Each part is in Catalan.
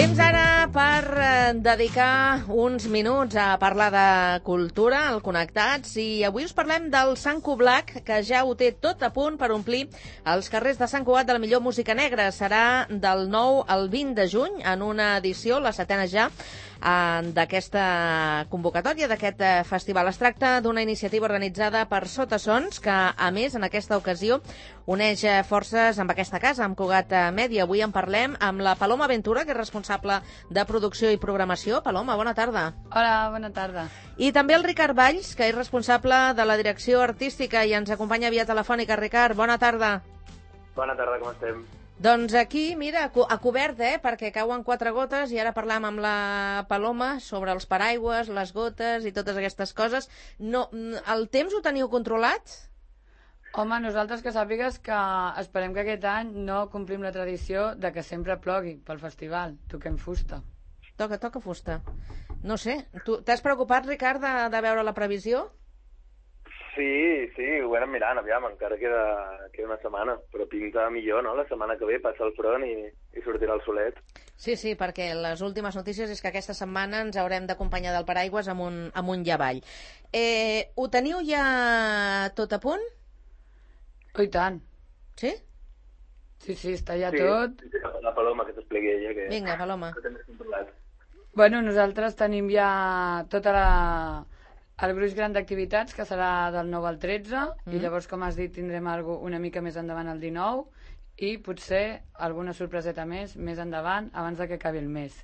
Temps ara per dedicar uns minuts a parlar de cultura, al Connectats, i avui us parlem del Sant Cugat, que ja ho té tot a punt per omplir els carrers de Sant Cugat de la millor música negra. Serà del 9 al 20 de juny, en una edició, la setena ja, d'aquesta convocatòria, d'aquest festival. Es tracta d'una iniciativa organitzada per Sotasons, que, a més, en aquesta ocasió, uneix forces amb aquesta casa, amb Cugat Mèdia. Avui en parlem amb la Paloma Ventura, que és responsable de producció i programació. Paloma, bona tarda. Hola, bona tarda. I també el Ricard Valls, que és responsable de la direcció artística i ens acompanya via telefònica. Ricard, bona tarda. Bona tarda, com estem? Doncs aquí, mira, a cobert, perquè cauen 4 gotes i ara parlam amb la Paloma sobre els paraigües, les gotes i totes aquestes coses. No, el temps ho teniu controlat? Home, nosaltres que sàpigues que esperem que aquest any no complim la tradició de que sempre plogui pel festival. Toquem fusta. Toca fusta. No sé, tu t'has preocupat, Ricard, de veure la previsió? Sí, ho anem mirant, aviam, encara queda una setmana, però pinta millor, no? La setmana que ve passa el front i sortirà el solet. Sí, perquè les últimes notícies és que aquesta setmana ens haurem d'acompanyar del paraigües amunt i avall. Ho teniu ja tot a punt? Oh, i tant. Sí? Sí, està ja tot. Sí, la Paloma, que t'expliqui ella. Que... Vinga, Paloma. Que també controlat. Bueno, nosaltres tenim ja tota el gruix gran d'activitats, que serà del 9 al 13, i llavors, com has dit, tindrem una mica més endavant el 19, i potser alguna sorpreseta més endavant, abans de que acabi el mes.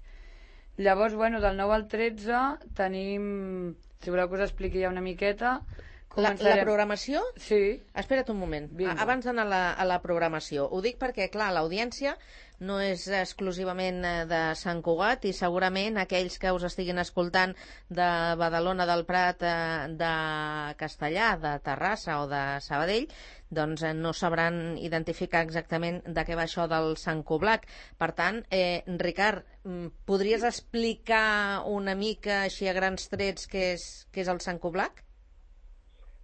Llavors, bueno, del 9 al 13 tenim, si voleu que us expliqui ja una miqueta... La programació? Sí. Espera't un moment, abans d'anar a la programació. Ho dic perquè, clar, l'audiència no és exclusivament de Sant Cugat i segurament aquells que us estiguin escoltant de Badalona, del Prat, de Castellà, de Terrassa o de Sabadell, doncs no sabran identificar exactament de què va això del Sant Cugat. Per tant, Ricard, podries explicar una mica així a grans trets què és el Sant Cugat?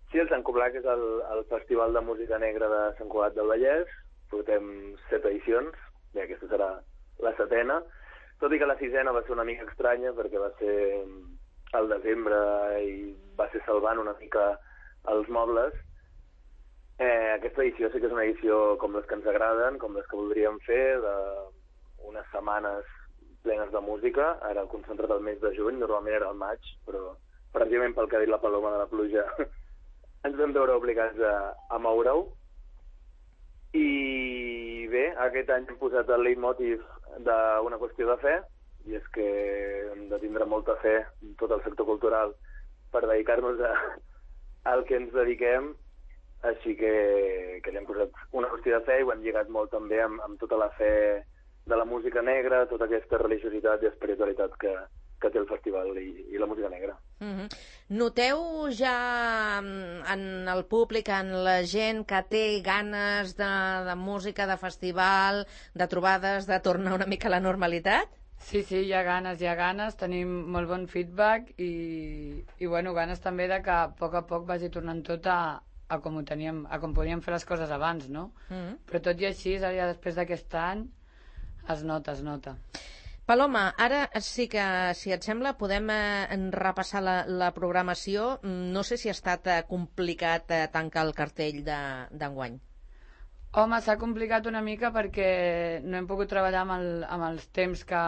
Sí, el Sant Cugat és el Festival de Música Negra de Sant Cugat del Vallès. Portem 7 edicions, i aquesta serà la 7a, tot i que la 6a va ser una mica estranya perquè va ser al desembre i va ser salvant una mica els mobles. Aquesta edició sí que és una edició com les que ens agraden, com les que voldríem fer, d'unes setmanes plenes de música. Ara el concentrat al mes de juny, normalment era al maig, però precisament pel que ha dit la Paloma de la pluja ens vam veure obligats a moure-ho. I bé, aquest any hem posat el leitmotiv d'una qüestió de fe, i és que hem de tindre molta fe en tot el sector cultural per dedicar-nos al que ens dediquem, així que li hem posat una qüestió de fe i ho hem lligat molt també amb tota la fe de la música negra, tota aquesta religiositat i espiritualitat que té el festival i la música negra. Noteu ja en el públic, en la gent que té ganes de música, de festival, de trobades, de tornar una mica a la normalitat? Sí, hi ha ganes, tenim molt bon feedback i bueno, ganes també de que a poc vagi tornant tot a com podíem fer les coses abans, no? Però tot i així, ara després d'aquest any, es nota. Paloma, ara sí que, si et sembla, podem repassar la programació. No sé si ha estat complicat tancar el cartell d'enguany. Home, s'ha complicat una mica perquè no hem pogut treballar amb els temps que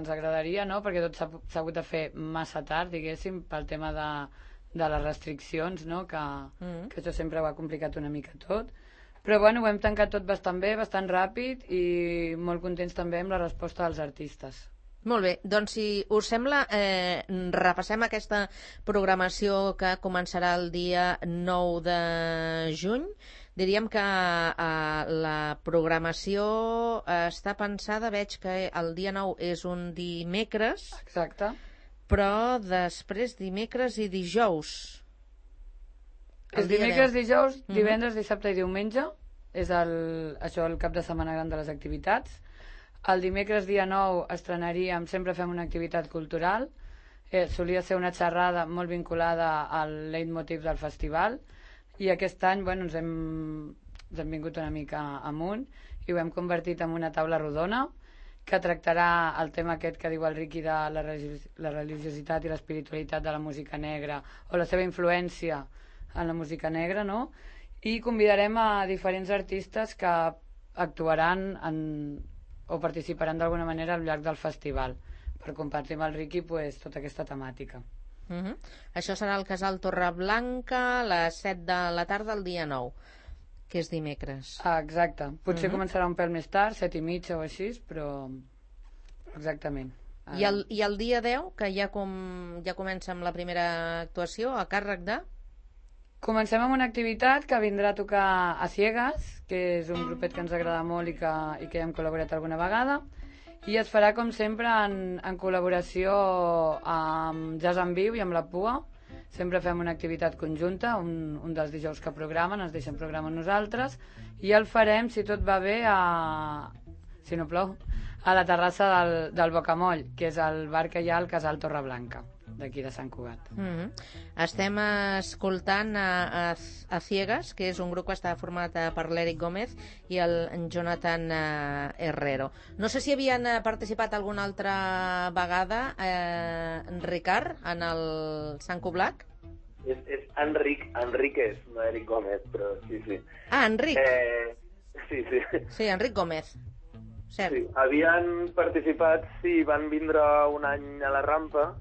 ens agradaria, no? Perquè tot s'ha hagut de fer massa tard, diguéssim, pel tema de les restriccions, no? Que això sempre ho ha complicat una mica tot. Però bueno, ho hem tancat tot bastant bé, bastant ràpid i molt contents també amb la resposta dels artistes. Molt bé, doncs si us sembla, repassem aquesta programació que començarà el dia 9 de juny. Diríem que la programació està pensada, veig que el dia 9 és un dimecres. Exacte. Però després dimecres i dijous. Els dimecres, dijous, divendres, dissabte i diumenge és això el cap de setmana gran de les activitats. El dimecres dia 9 estrenaríem, sempre fem una activitat cultural, solia ser una xerrada molt vinculada al leitmotiv del festival i aquest any ens hem vingut una mica amunt i ho hem convertit en una taula rodona que tractarà el tema aquest que diu el Riqui de la religiositat i l'espiritualitat de la música negra o la seva influència en la música negra, no? I convidarem a diferents artistes que actuaran o participaran d'alguna manera al llarg del festival per compartir amb el Riqui tota aquesta temàtica. Això serà al Casal Torreblanca a les 7 de la tarda el dia 9, que és dimecres. Exacte. Potser començarà un pèl més tard, 7:30 o així, però exactament. I el dia 10, que ja comença amb la primera actuació, a càrrec de? Comencem amb una activitat que vindrà a tocar a Ciegas, que és un grupet que ens agrada molt i que ja hem col·laborat alguna vegada, i es farà com sempre en col·laboració amb Jazz en Viu i amb la Pua. Sempre fem una activitat conjunta, un dels dijous que programen, ens deixen programar nosaltres, i el farem, si tot va bé, si no plou, a la terrassa del Bocamoll, que és el bar que hi ha al Casal Torreblanca, d'aquí de Sant Cugat. Estem escoltant a Ciegas, que és un grup que està format per l'Eric Gómez i el Jonathan Herrero. No sé si havien participat alguna altra vegada, Ricard, en el Sant Cublac? És Enríquez, no Eric Gómez, però sí. Ah, Enric. Sí. Sí, Enric Gómez. Cert. Sí, havien participat, sí, van vindre un any a la Rampa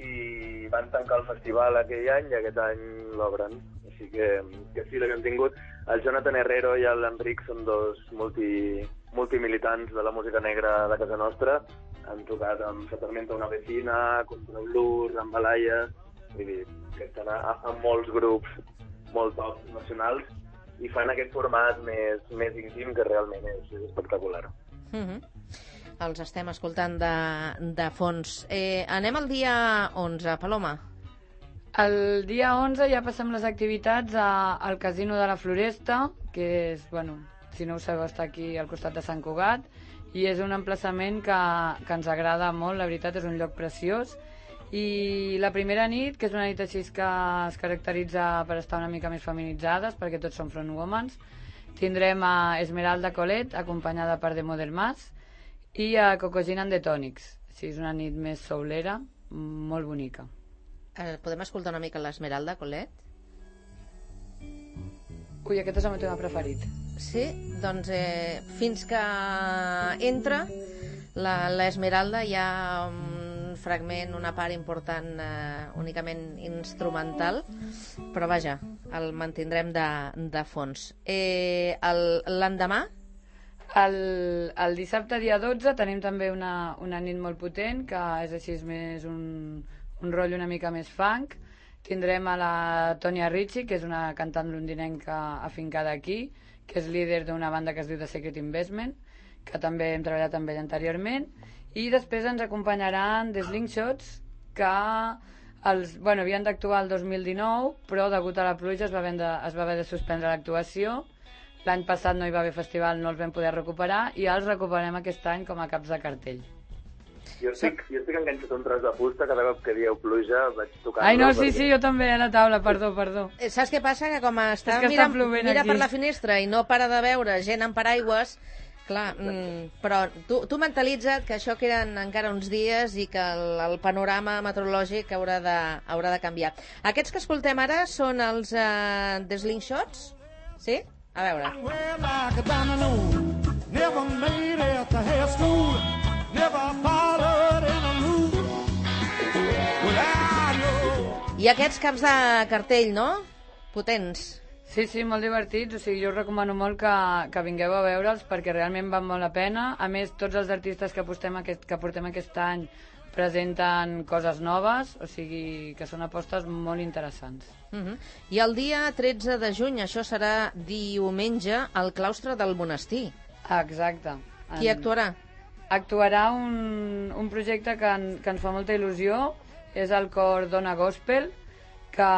i van tancar el festival aquell any i aquest any l'obren. Així que sí, l'hem tingut. El Jonathan Herrero i l'Enric són dos multimilitants de la música negra de casa nostra. Han tocat amb Satarmenta una vecina, Contra Blues, amb Balaya, vull dir, que estan a molts grups molt top nacionals i fan aquest format més íntim que realment és espectacular. Els estem escoltant de fons. Anem al dia 11, Paloma. El dia 11 ja passem les activitats al Casino de la Floresta, que és, si no ho sabeu, està aquí al costat de Sant Cugat, i és un emplaçament que ens agrada molt, la veritat, és un lloc preciós. I la primera nit, que és una nit així que es caracteritza per estar una mica més feminitzades, perquè tots són frontwomans, tindrem a Esmeralda Colet, acompanyada per Demo del Mas, i a Cocogin and the Tonics. Així és una nit més soulera, molt bonica. Podem escoltar una mica l'Esmeralda Colet? Ui, aquest és el meu tema preferit. Sí? Doncs fins que entra l'Esmeralda hi ha un fragment, una part important únicament instrumental, però vaja, el mantindrem de fons. L'endemà? El dissabte dia 12 tenim també una nit molt potent, que és així més un rotllo una mica més funk. Tindrem a la Tonya Ricci, que és una cantant londinenca afincada aquí, que és líder d'una banda que es diu The Secret Investment, que també hem treballat amb ell anteriorment, i després ens acompanyaran The Slingshots, que havien d'actuar el 2019, però degut a la pluja es va haver de suspendre l'actuació. L'any passat no hi va haver festival, no els vam poder recuperar, i els recuperem aquest any com a caps de cartell. Jo estic enganxat un tros de fusta, cada cop que dieu pluja vaig tocant... Ai, no, sí, jo també, a la taula, perdó. Saps què passa? Que com està mira per la finestra i no para de veure gent amb paraigües, clar, però tu mentalitza't que això queden encara uns dies i que el panorama meteorològic haurà de canviar. Aquests que escoltem ara són els The Slingshots? Sí? A veure. I aquests caps de cartell, no? Potents. Sí, molt divertits, o sigui, jo us recomano molt que vingueu a veure'ls perquè realment val molt la pena. A més, tots els artistes que portem aquest any presenten coses noves, o sigui, que són apostes molt interessants. I el dia 13 de juny, això serà diumenge, al claustre del monestir. Exacte. Qui actuarà? Actuarà un projecte que ens fa molta il·lusió, és el cor Dona Gospel, que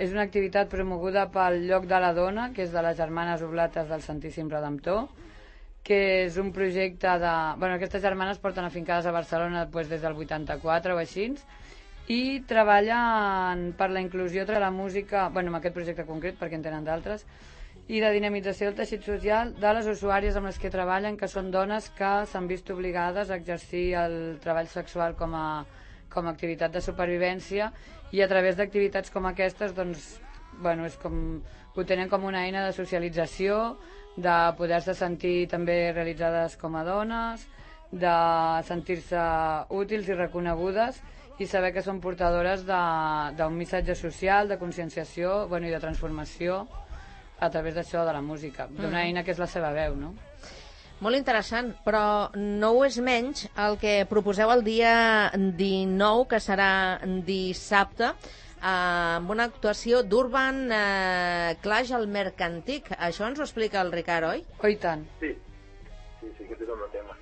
és una activitat promoguda pel Lloc de la Dona, que és de les Germanes Oblates del Santíssim Redemptor, que és un projecte de... aquestes germanes porten afincades a Barcelona des del 84 o així, i treballen per la inclusió de la música, en aquest projecte concret, perquè en tenen d'altres, i de dinamització del teixit social de les usuàries amb les que treballen, que són dones que s'han vist obligades a exercir el treball sexual com a activitat de supervivència, i a través d'activitats com aquestes doncs, bueno, és com, ho tenen com una eina de socialització, de poder-se sentir també realitzades com a dones, de sentir-se útils i reconegudes, i saber que són portadores d'un missatge social, de conscienciació, bueno, i de transformació a través d'això de la música, d'una eina que és la seva veu, no? Molt interessant, però no ho és menys el que proposeu el dia 19, que serà dissabte, amb una actuació d'Urban Clash al Mercantic. Això ens ho explica el Ricard, oi? Oh, i tant. Sí, aquest és el meu tema.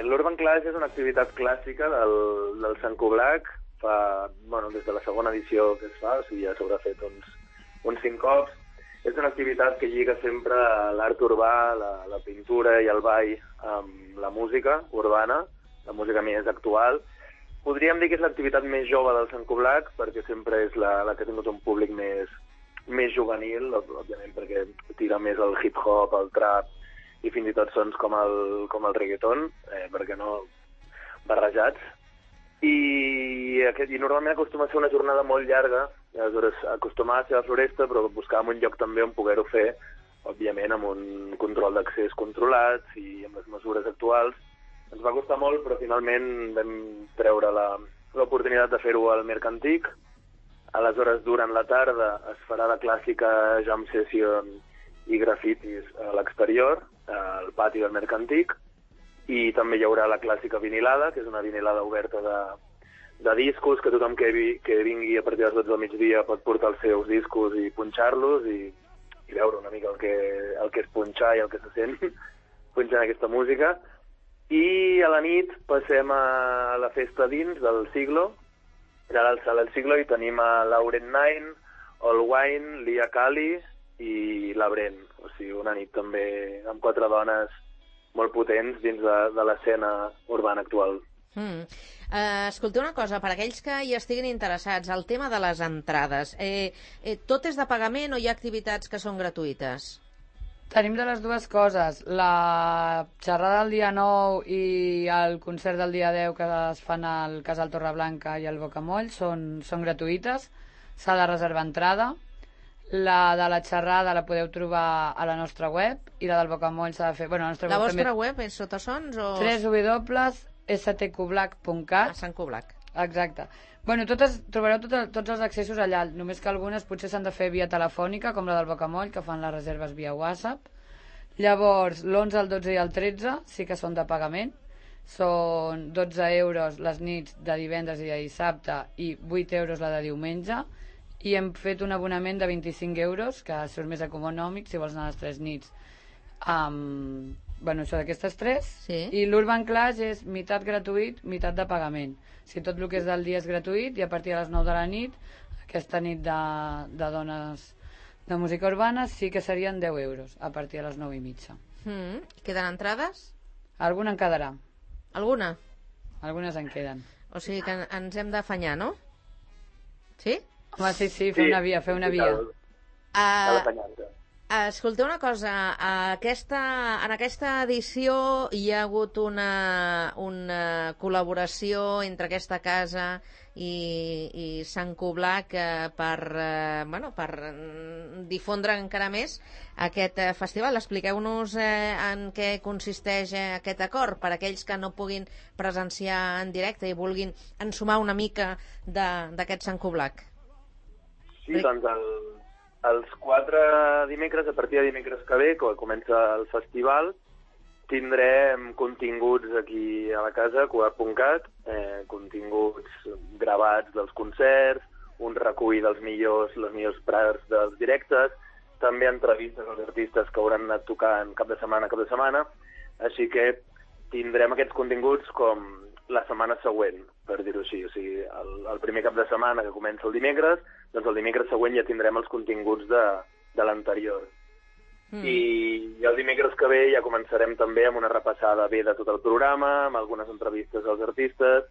L'Urban Clash és una activitat clàssica del Sant Coblac, des de la segona edició que es fa, o sigui, ja s'haurà fet uns 5 cops. És una activitat que lliga sempre l'art urbà, la pintura i el ball amb la música urbana, la música més actual. Podríem dir que és l'activitat més jove del Sant Coblac, perquè sempre és la que ha tingut un públic més juvenil, òbviament perquè tira més el hip-hop, el trap, i fins i tot sons com el reggaeton, perquè no barrejats. I normalment acostuma a ser una jornada molt llarga, i aleshores acostumava a ser a la Floresta, però buscàvem un lloc també on poder-ho fer, òbviament amb un control d'accés controlat i amb les mesures actuals. Ens va costar molt, però finalment vam treure l'oportunitat de fer-ho al Mercantic. Aleshores, durant la tarda es farà la clàssica jam session i grafitis a l'exterior, al pati del Mercantic, i també hi haurà la clàssica vinilada, que és una vinilada oberta de discos, que tothom que vingui a partir de les 12 del migdia pot portar els seus discos i punxar-los i veure una mica el que és punxar i el que se sent punxant aquesta música. I a la nit passem a la festa dins del Siglo. Allà al Sala del Siglo hi tenim a Lauren Nine, All Wine, Lia Kali i la Bren. O sigui, una nit també amb 4 dones molt potents dins de l'escena urbana actual. Escolteu una cosa, per aquells que hi estiguin interessats, el tema de les entrades, tot és de pagament o hi ha activitats que són gratuïtes? Tenim de les dues coses. La xerrada del dia 9 i el concert del dia 10 que es fan al Casal Torreblanca i al Bocamoll són gratuïtes, s'ha de reservar entrada. La de la xerrada la podeu trobar a la nostra web i la del Bocamoll s'ha de fer... Bueno, la vostra web és Sotasons o...? www.stcoblac.cat. A Sant Coblac. Exacte. Bueno, trobareu tots els accessos allà, només que algunes potser s'han de fer via telefònica, com la del Bocamoll, que fan les reserves via WhatsApp. Llavors, l'11, el 12 i el 13 sí que són de pagament. Són 12 euros les nits de divendres i de dissabte i 8 euros la de diumenge. I hem fet un abonament de 25 euros, que surt més econòmic si vols anar a les 3 nits. Bueno, això d'aquestes 3. Sí. I l'Urban Clash és meitat gratuït, meitat de pagament. Si tot el que és del dia és gratuït, i a partir de les 9 de la nit, aquesta nit de dones de música urbana, sí que serien 10 euros, a partir de les 9 i mitja. Queden entrades? Alguna en quedarà. Alguna? Algunes en queden. O sigui que ens hem d'afanyar, no? Sí? Home, sí, fer una via. Escolteu una cosa, en aquesta edició hi ha hagut una col·laboració entre aquesta casa i Sant Coblac per difondre encara més aquest festival. Expliqueu-nos en què consisteix aquest acord per a aquells que no puguin presenciar en directe i vulguin ensumar una mica d'aquest Sant Coblac. Sí, doncs els 4 dimecres, a partir de dimecres que ve, quan comença el festival, tindrem continguts aquí a la casa, Cugat.cat, continguts gravats dels concerts, un recull les millors parts dels directes, també entrevistes als artistes que hauran anat tocant cap de setmana, així que tindrem aquests continguts com la setmana següent, per dir-ho així. O sigui, el primer cap de setmana que comença el dimecres, doncs el dimecres següent ja tindrem els continguts de l'anterior. I el dimecres que ve ja començarem també amb una repassada bé de tot el programa, amb algunes entrevistes als artistes,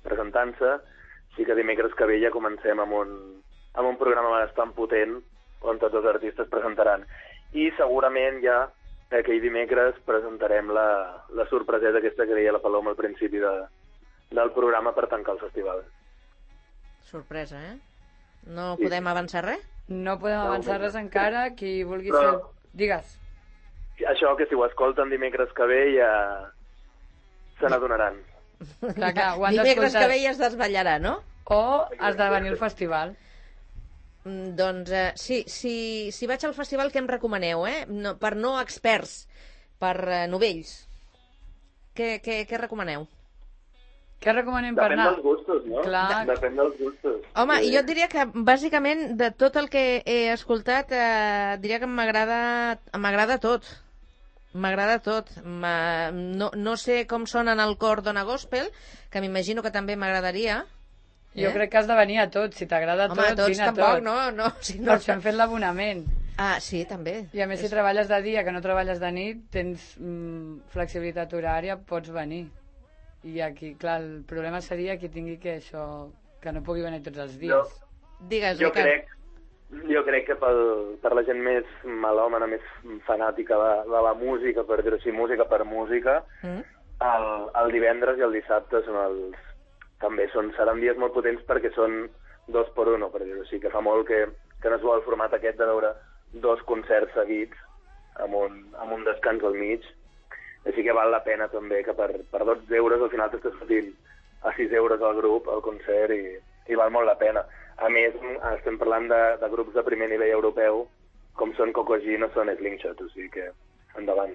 presentant-se. Així que dimecres que ve ja comencem amb un programa bastant potent on tots els artistes presentaran. I segurament ja aquell dimecres presentarem la sorpreseta aquesta que deia la Paloma al principi del programa per tancar el festival. Sorpresa, No podem avançar res? No podem avançar res encara, qui vulgui fer... Digues. Això, que si ho escolten dimecres que ve ja se n'adonaran. Clar, dimecres que ve ja es desvetllarà, no? O has de venir al festival. Doncs si vaig al festival, què em recomaneu, per no experts, per novells? Què recomaneu? Què recomanem per anar? Depèn dels gustos, no? Clar. Depèn dels gustos. Home, jo et diria que, bàsicament, de tot el que he escoltat, diria que m'agrada tot. M'agrada tot. No sé com sona en el cor Dona Gospel, que m'imagino que també m'agradaria. Jo crec que has de venir a tot. Si t'agrada tot, vine a tot. Home, tampoc, no. Per això hem fet l'abonament. Ah, sí, també. I a més, si treballes de dia, que no treballes de nit, tens flexibilitat horària, pots venir. I aquí, clar, el problema seria que tingui que no pugui venir tots els dies. Digues, jo crec que per la gent més melòmana, més fanàtica de la música, per dir-ho així, música per música, el divendres i el dissabte també seran dies molt potents perquè són 2x1, per dir-ho així, que fa molt que no es vol el format aquest de veure 2 concerts seguits amb un descans al mig. Així que val la pena també que per 12 euros al final t'estàs fotint a 6 euros al grup, al concert, i val molt la pena. A més, estem parlant de grups de primer nivell europeu, com són Coco Jean o són Slingshot, o sigui que endavant.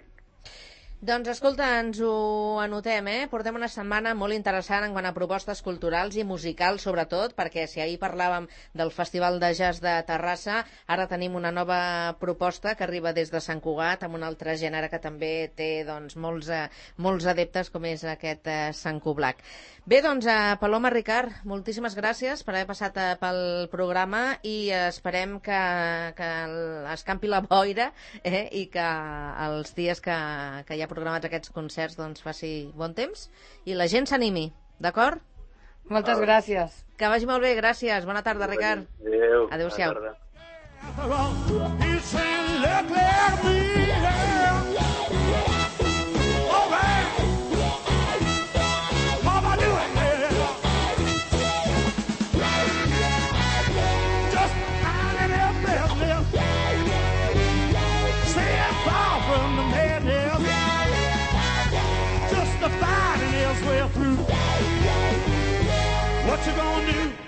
Doncs escolta, ens ho anotem, Portem una setmana molt interessant en quant a propostes culturals i musicals, sobretot, perquè si ahir parlàvem del Festival de Jazz de Terrassa, ara tenim una nova proposta que arriba des de Sant Cugat, amb un altre gènere que també té molts adeptes, com és aquest Sant Cublac. Bé, doncs, Paloma, Ricard, moltíssimes gràcies per haver passat pel programa i esperem que escampi la boira i que els dies que hi ha programats aquests concerts doncs faci bon temps i la gent s'animi, d'acord? Moltes gràcies. Que vagi molt bé, gràcies. Bona tarda, Ricard. Adéu. Adéu-siau. What you gonna do?